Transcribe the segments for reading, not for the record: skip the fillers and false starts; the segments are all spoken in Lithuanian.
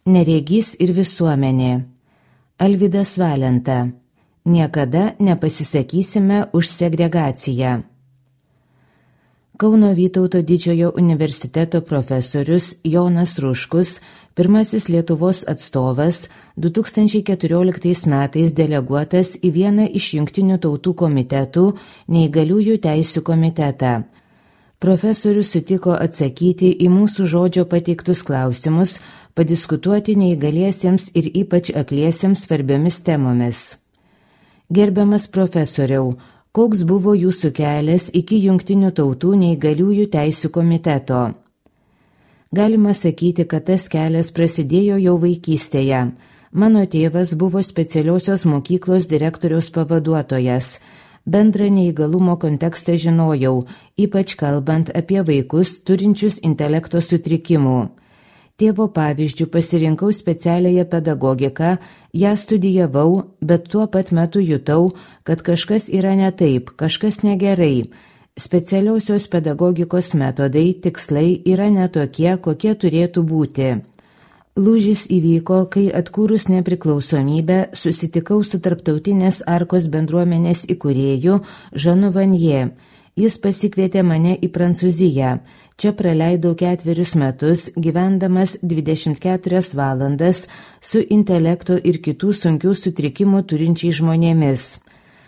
Neregys ir visuomenė. Alvydas Valenta. Niekada nepasisakysime už segregaciją. Kauno Vytauto Didžiojo universiteto profesorius Jonas Ruškus, pirmasis Lietuvos atstovas, 2014 metais deleguotas į vieną iš Jungtinių tautų komitetų neįgaliųjų teisių komitetą. Profesorius sutiko atsakyti į mūsų žodžio pateiktus klausimus, padiskutuoti neįgaliesiems ir ypač akliesiems svarbiomis temomis. Gerbiamas profesoriau, koks buvo jūsų kelias iki Jungtinių tautų neįgaliųjų teisių komiteto? Galima sakyti, kad tas kelias prasidėjo jau vaikystėje. Mano tėvas buvo specialiosios mokyklos direktoriaus pavaduotojas. Bendrą neįgalumo kontekstą žinojau, ypač kalbant apie vaikus turinčius intelekto sutrikimų. Tėvo pavyzdžių pasirinkau specialiąją pedagogiką, ją studijavau, bet tuo pat metu jutau, kad kažkas yra ne taip, kažkas negerai. Specialiosios pedagogikos metodai, tikslai yra ne tokie, kokie turėtų būti. Lūžis įvyko, kai atkūrus nepriklausomybę susitikau su Tarptautinės Arkos bendruomenės įkūrėju Žanu Vanje. Jis pasikvietė mane į Prancūziją. Čia praleidau 4 metus, gyvendamas 24 valandas su intelekto ir kitų sunkių sutrikimų turinčiais žmonėmis.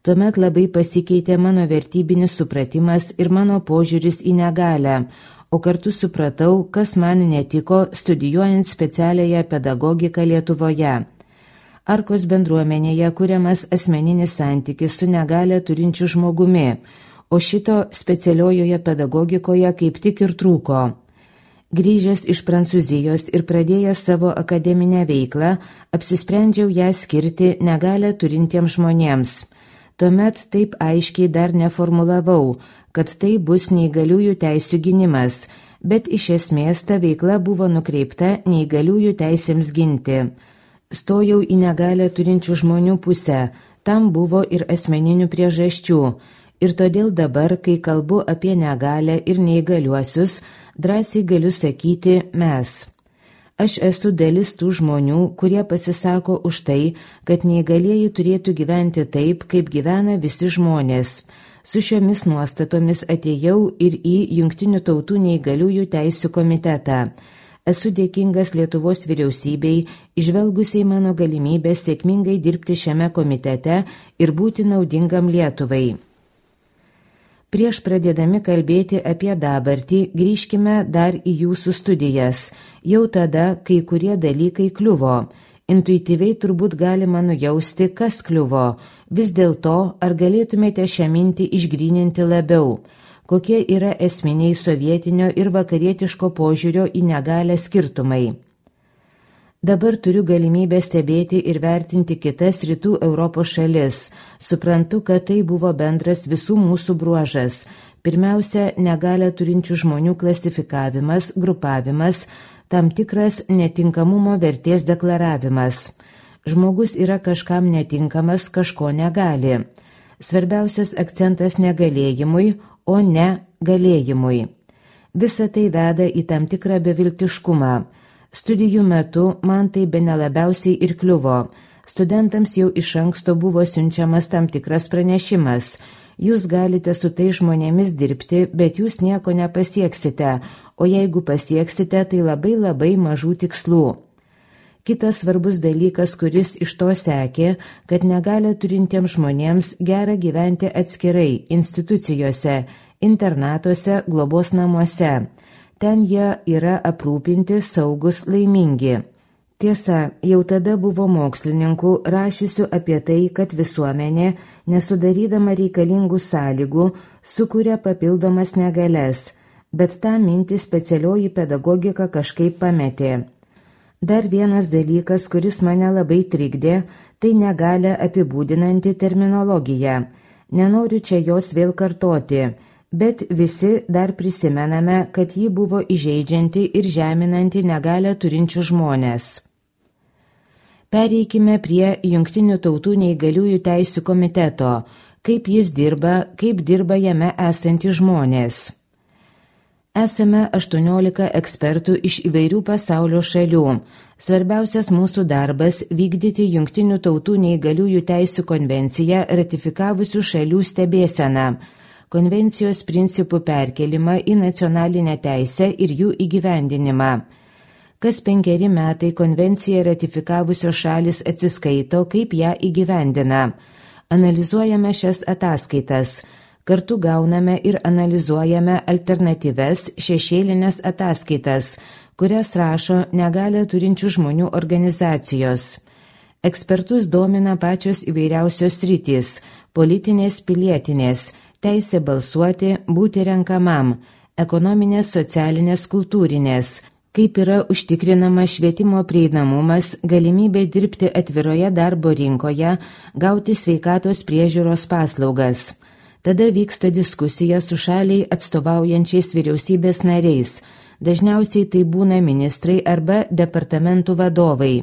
Tuomet labai pasikeitė mano vertybinis supratimas ir mano požiūris į negalią, o kartu supratau, kas man netiko studijuojant specialiąją pedagogiką Lietuvoje. Arkos bendruomenėje kuriamas asmeninis santykis su negalią turinčiu žmogumi, o šito specialiojoje pedagogikoje kaip tik ir trūko. Grįžęs iš Prancūzijos ir pradėjęs savo akademinę veiklą, apsisprendžiau ją skirti negalią turintiems žmonėms. Tuomet taip aiškiai dar neformulavau, kad tai bus neįgaliųjų teisių gynimas, bet iš esmės ta veikla buvo nukreipta neįgaliųjų teisėms ginti. Stojau į negalią turinčių žmonių pusę, tam buvo ir asmeninių priežasčių, ir todėl dabar, kai kalbu apie negalią ir neįgaliuosius, drąsiai galiu sakyti mes. Aš esu dalis tų žmonių, kurie pasisako už tai, kad neįgalieji turėtų gyventi taip, kaip gyvena visi žmonės. Su šiomis nuostatomis atėjau ir į Jungtinių tautų neįgaliųjų teisių komitetą. Esu dėkingas Lietuvos vyriausybei, įžvelgusiai mano galimybę sėkmingai dirbti šiame komitete ir būti naudingam Lietuvai. Prieš pradėdami kalbėti apie dabartį, grįžkime dar į jūsų studijas, jau tada, kai kurie dalykai kliuvo. Intuityviai turbūt galima nujausti, kas kliuvo. Vis dėlto, ar galėtumėte šią mintį išgryninti labiau? Kokie yra esminiai sovietinio ir vakarietiško požiūrio į negalią skirtumai? Dabar turiu galimybę stebėti ir vertinti kitas rytų Europos šalis. Suprantu, kad tai buvo bendras visų mūsų bruožas. Pirmiausia, negalią turinčių žmonių klasifikavimas, grupavimas, tam tikras netinkamumo vertės deklaravimas. Žmogus yra kažkam netinkamas, kažko negali. Svarbiausias akcentas negalėjimui, o ne galėjimui. Visa tai veda į tam tikrą beviltiškumą. Studijų metu man tai bene labiausiai ir kliuvo. Studentams jau iš anksto buvo siunčiamas tam tikras pranešimas. Jūs galite su tai žmonėmis dirbti, bet jūs nieko nepasieksite, o jeigu pasieksite, tai labai mažų tikslų. Kitas svarbus dalykas, kuris iš to sekė, kad negalią turintiems žmonėms gera gyventi atskirai, institucijose, internatuose, globos namuose. Ten jie yra aprūpinti, saugus, laimingi. Tiesa, jau tada buvo mokslininkų rašiusių apie tai, kad visuomenė, nesudarydama reikalingų sąlygų, sukuria papildomas negalias, bet tą mintį specialioji pedagogika kažkaip pametė. Dar vienas dalykas, kuris mane labai trikdė, tai negalią apibūdinanti terminologija. Nenoriu čia jos vėl kartoti, bet visi dar prisimename, kad ji buvo įžeidžianti ir žeminanti negalią turinčių žmonės. Pereikime prie Jungtinių tautų neįgaliųjų teisių komiteto, kaip jis dirba, kaip dirba jame esantys žmonės. Esame 18 ekspertų iš įvairių pasaulio šalių. Svarbiausias mūsų darbas – vykdyti Jungtinių tautų neįgaliųjų teisių konvenciją ratifikavusių šalių stebėseną, konvencijos principų perkelimą į nacionalinę teisę ir jų įgyvendinimą. Kas 5 metai konvenciją ratifikavusios šalis atsiskaito, kaip ją įgyvendina. Analizuojame šias ataskaitas. Kartu gauname ir analizuojame alternatyves šešėlinės ataskaitas, kurias rašo negalią turinčių žmonių organizacijos. Ekspertus domina pačios įvairiausios sritys – politinės, pilietinės, teisė balsuoti, būti renkamam, ekonominės, socialinės, kultūrinės, kaip yra užtikrinama švietimo prieinamumas, galimybė dirbti atviroje darbo rinkoje, gauti sveikatos priežiūros paslaugas. Tada vyksta diskusija su šaliai atstovaujančiais vyriausybės nariais. Dažniausiai tai būna ministrai arba departamentų vadovai,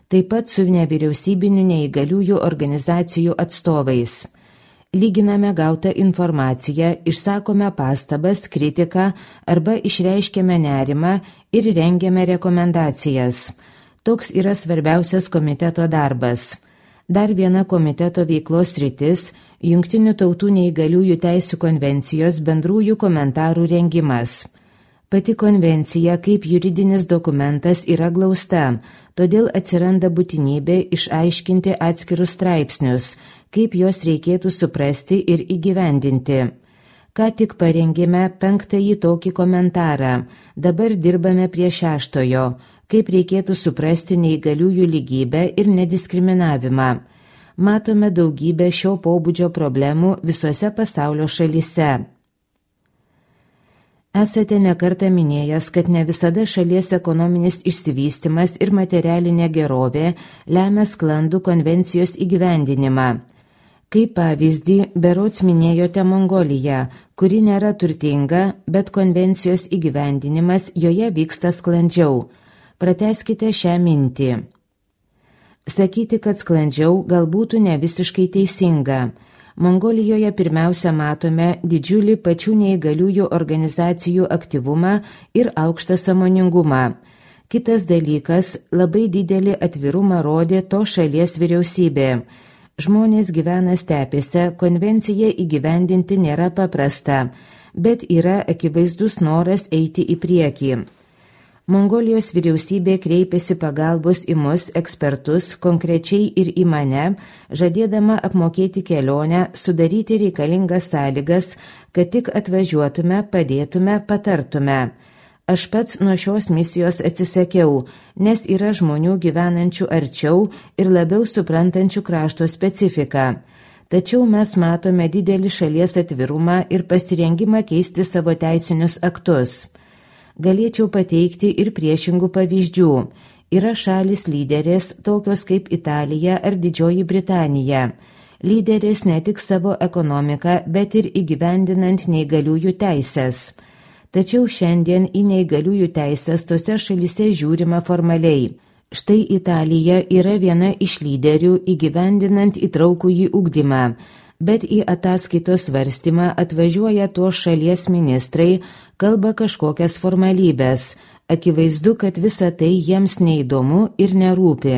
taip pat su nevyriausybinių neįgaliųjų organizacijų atstovais. Lyginame gautą informaciją, išsakome pastabas, kritiką arba išreiškėme nerimą ir rengiame rekomendacijas. Toks yra svarbiausias komiteto darbas. Dar viena komiteto veiklos sritis – Jungtinių tautų neįgaliųjų teisių konvencijos bendrųjų komentarų rengimas. Pati konvencija kaip juridinis dokumentas yra glausta, todėl atsiranda būtinybė išaiškinti atskirus straipsnius, kaip juos reikėtų suprasti ir įgyvendinti. Ką tik parengėme 5. tokį komentarą, dabar dirbame prie 6, kaip reikėtų suprasti neįgaliųjų lygybę ir nediskriminavimą. Matome daugybę šio pobūdžio problemų visose pasaulio šalyse. Esate nekartą minėjęs, kad ne visada šalies ekonominis išsivystymas ir materialinė gerovė lemia sklandų konvencijos įgyvendinimą. Kaip pavyzdį, berods minėjote Mongoliją, kuri nėra turtinga, bet konvencijos įgyvendinimas joje vyksta sklandžiau. Pratęskite šią mintį. Sakyti, kad sklandžiau, galbūt ne visiškai teisinga. Mongolijoje pirmiausia matome didžiulį pačių neįgaliųjų organizacijų aktyvumą ir aukštą sąmoningumą. Kitas dalykas – labai didelį atvirumą rodė to šalies vyriausybė. Žmonės gyvena stepėse, konvenciją įgyvendinti nėra paprasta, bet yra akivaizdus noras eiti į priekį. Mongolijos vyriausybė kreipėsi pagalbos į mus ekspertus, konkrečiai ir į mane, žadėdama apmokėti kelionę, sudaryti reikalingas sąlygas, kad tik atvažiuotume, padėtume, patartume. Aš pats nuo šios misijos atsisakiau, nes yra žmonių gyvenančių arčiau ir labiau suprantančių krašto specifiką. Tačiau mes matome didelį šalies atvirumą ir pasirengimą keisti savo teisinius aktus. Galėčiau pateikti ir priešingų pavyzdžių. Yra šalis lyderės, tokios kaip Italija ar Didžioji Britanija. Lyderės ne tik savo ekonomiką, bet ir įgyvendinant neįgaliųjų teises. Tačiau šiandien į neįgaliųjų teisės tose šalyse žiūrima formaliai. Štai Italija yra viena iš lyderių įgyvendinant įtraukųjį ugdymą. Bet į ataskaitos svarstymą atvažiuoja tos šalies ministrai, kalba kažkokias formalybės. Akivaizdu, kad visa tai jiems neįdomu ir nerūpi.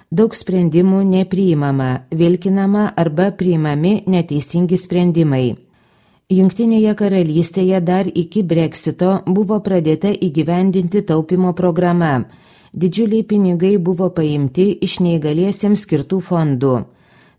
Daug sprendimų nepriimama, vilkinama arba priimami neteisingi sprendimai. Jungtinėje karalystėje dar iki Brexito buvo pradėta įgyvendinti taupimo programa. Didžiuliai pinigai buvo paimti iš neįgaliesiems skirtų fondų.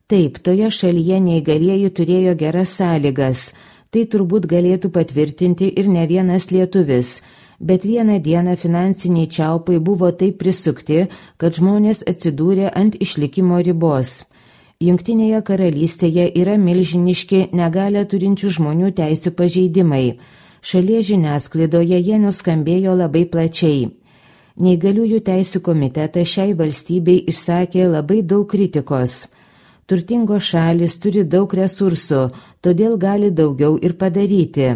Taip, toje šalyje neįgalieji turėjo geras sąlygas, tai turbūt galėtų patvirtinti ir ne vienas lietuvis, bet vieną dieną finansiniai čiaupai buvo taip prisukti, kad žmonės atsidūrė ant išlikimo ribos. Jungtinėje karalystėje yra milžiniški negalią turinčių žmonių teisių pažeidimai. Šalies žiniasklaidoje jie nuskambėjo labai plačiai. Neįgaliųjų teisių komitetas šiai valstybei išsakė labai daug kritikos. Turtingos šalis turi daug resursų, todėl gali daugiau ir padaryti.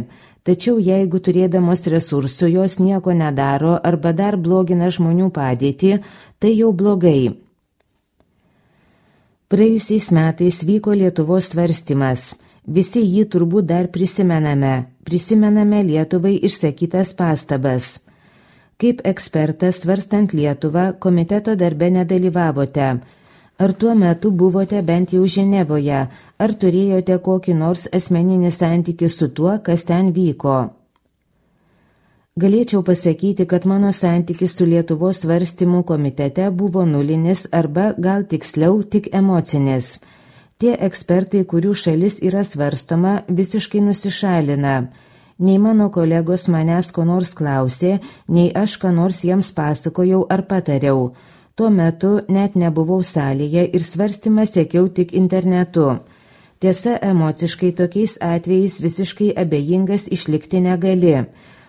Tačiau jeigu turėdamos resursų jos nieko nedaro arba dar blogina žmonių padėtį, tai jau blogai. Praėjusiais metais vyko Lietuvos svarstymas. Visi jį turbūt dar prisimename Lietuvai išsakytas pastabas. Kaip ekspertas svarstant Lietuvą, komiteto darbe nedalyvavote. Ar tuo metu buvote bent jau Ženevoje, ar turėjote kokį nors asmeninį santykį su tuo, kas ten vyko? Galėčiau pasakyti, kad mano santykis su Lietuvos svarstymų komitete buvo nulinis arba gal tiksliau tik emocinis. Tie ekspertai, kurių šalis yra svarstoma, visiškai nusišalina. Nei mano kolegos manęs ko nors klausė, nei aš ką nors jiems pasakojau ar patariau. Tuo metu net nebuvau salėje ir svarstymą sekiau tik internetu. Tiesa, emociškai tokiais atvejais visiškai abejingas išlikti negali.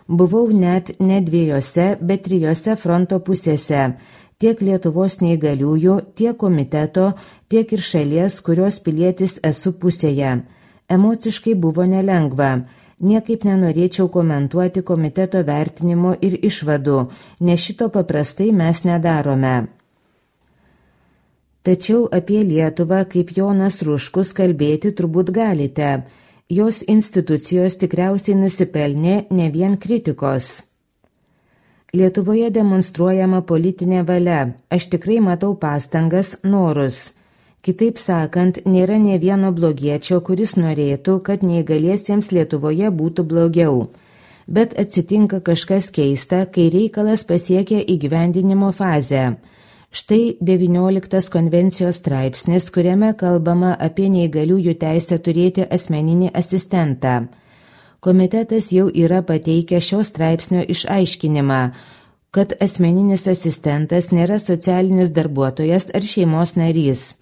Buvau net ne 2, bet 3 fronto pusėse. Tiek Lietuvos neįgaliųjų, tiek komiteto, tiek ir šalies, kurios pilietis esu pusėje. Emociškai buvo nelengva. Niekaip nenorėčiau komentuoti komiteto vertinimo ir išvadų, nes šito paprastai mes nedarome. Tačiau apie Lietuvą, kaip Jonas Ruškus, kalbėti turbūt galite. Jos institucijos tikriausiai nusipelnė ne vien kritikos. Lietuvoje demonstruojama politinė valia. Aš tikrai matau pastangas, norus. Kitaip sakant, nėra nė vieno blogiečio, kuris norėtų, kad neįgaliesiems Lietuvoje būtų blogiau. Bet atsitinka kažkas keista, kai reikalas pasiekia įgyvendinimo fazę. Štai 19 konvencijos straipsnis, kuriame kalbama apie neįgaliųjų teisę turėti asmeninį asistentą. Komitetas jau yra pateikę šio straipsnio išaiškinimą, kad asmeninis asistentas nėra socialinis darbuotojas ar šeimos narys.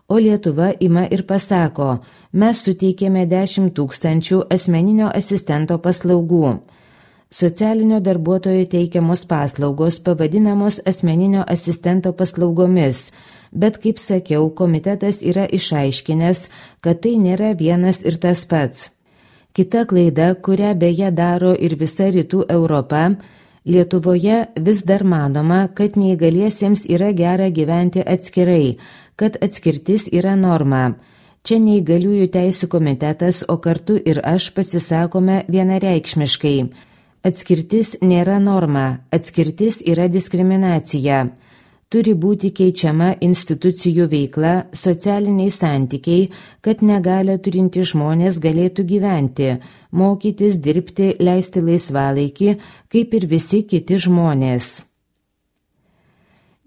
O Lietuva ima ir pasako, mes suteikėme 10 000 asmeninio asistento paslaugų. Socialinio darbuotojo teikiamos paslaugos pavadinamos asmeninio asistento paslaugomis, bet, kaip sakiau, komitetas yra išaiškinęs, kad tai nėra vienas ir tas pats. Kita klaida, kurią beje daro ir visa rytų Europa, Lietuvoje vis dar manoma, kad neįgaliesiems yra gera gyventi atskirai, kad atskirtis yra norma. Čia neįgaliųjų teisių komitetas, o kartu ir aš pasisakome vienareikšmiškai. Atskirtis nėra norma, atskirtis yra diskriminacija. Turi būti keičiama institucijų veikla, socialiniai santykiai, kad negalią turinti žmonės galėtų gyventi, mokytis, dirbti, leisti laisvalaikį, kaip ir visi kiti žmonės.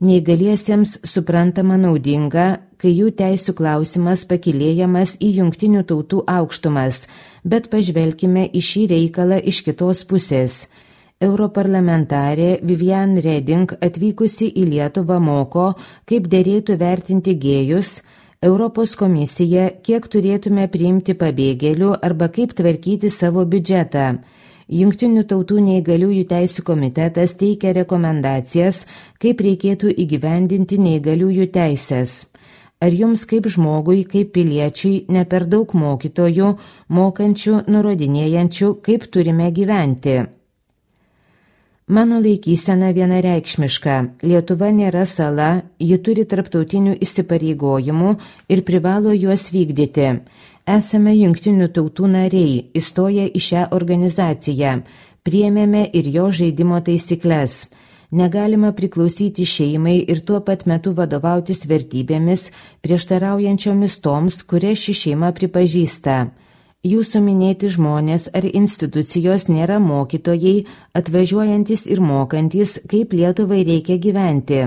Neįgaliesiems suprantama naudinga, kai jų teisių klausimas pakilėjamas į Jungtinių tautų aukštumas, bet pažvelkime į šį reikalą iš kitos pusės. Europarlamentarė Vivian Reding atvykusi į Lietuvą moko, kaip derėtų vertinti gėjus, Europos komisija, kiek turėtume priimti pabėgėlių arba kaip tvarkyti savo biudžetą. Jungtinių tautų neįgaliųjų teisių komitetas teikia rekomendacijas, kaip reikėtų įgyvendinti neįgaliųjų teisės. Ar jums kaip žmogui, kaip piliečiui, ne per daug mokytojų, mokančių, nurodinėjančių, kaip turime gyventi? Mano laikysena vienareikšmiška. Lietuva nėra sala, ji turi tarptautinių įsipareigojimų ir privalo juos vykdyti. Esame Jungtinių tautų nariai, įstoję į šią organizaciją, priėmėme ir jo žaidimo taisyklės. Negalima priklausyti šeimai ir tuo pat metu vadovautis vertybėmis, prieštaraujančiomis toms, kurias ši šeima pripažįsta. Jūsų minėti žmonės ar institucijos nėra mokytojai, atvažiuojantis ir mokantis, kaip Lietuvai reikia gyventi.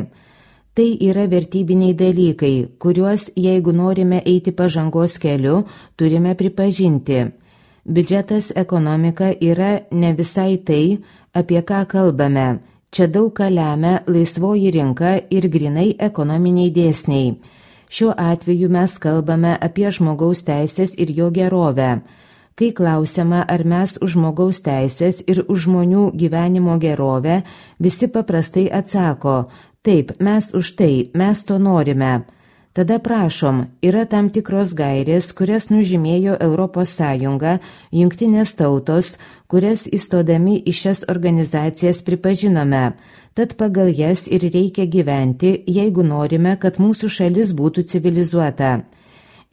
Tai yra vertybiniai dalykai, kuriuos, jeigu norime eiti pažangos keliu, turime pripažinti. Biudžetas, ekonomika yra ne visai tai, apie ką kalbame. Čia daug ką lemia laisvoji rinka ir grinai ekonominiai dėsniai. Šiuo atveju mes kalbame apie žmogaus teisės ir jo gerovę. Kai klausiama, ar mes už žmogaus teisės ir už žmonių gyvenimo gerovę, visi paprastai atsako, taip, mes už tai, mes to norime. Tada prašom, yra tam tikros gairės, kurias nužymėjo Europos Sąjunga, Jungtinės tautos, kurias įstodami į šias organizacijas pripažinome. Tad pagal jas ir reikia gyventi, jeigu norime, kad mūsų šalis būtų civilizuota.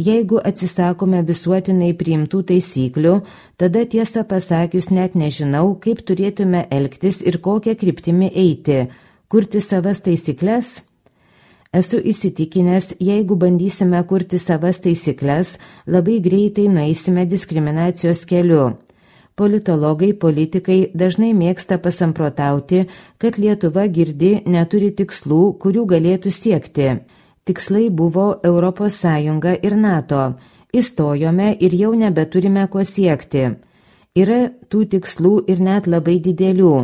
Jeigu atsisakome visuotinai priimtų taisyklių, tada tiesą pasakius net nežinau, kaip turėtume elgtis ir kokią kryptimį eiti, kurti savas taisyklės. Esu įsitikinęs, jeigu bandysime kurti savas taisyklės, labai greitai nueisime diskriminacijos keliu. Politologai, politikai dažnai mėgsta pasamprotauti, kad Lietuva girdi neturi tikslų, kurių galėtų siekti. Tikslai buvo Europos Sąjunga ir NATO. Įstojome ir jau nebeturime ko siekti. Yra tų tikslų ir net labai didelių.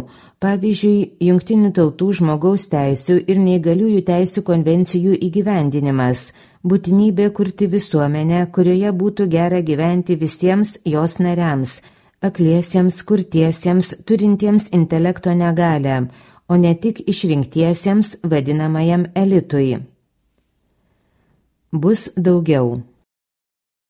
Pavyzdžiui, Jungtinių tautų žmogaus teisių ir neįgaliųjų teisių konvencijų įgyvendinimas. Būtinybė kurti visuomenę, kurioje būtų gera gyventi visiems jos nariams. Akliesiems, kurtiesiems, turintiems intelekto negalią, o ne tik išrinktiesiems vadinamajam elitui. Bus daugiau.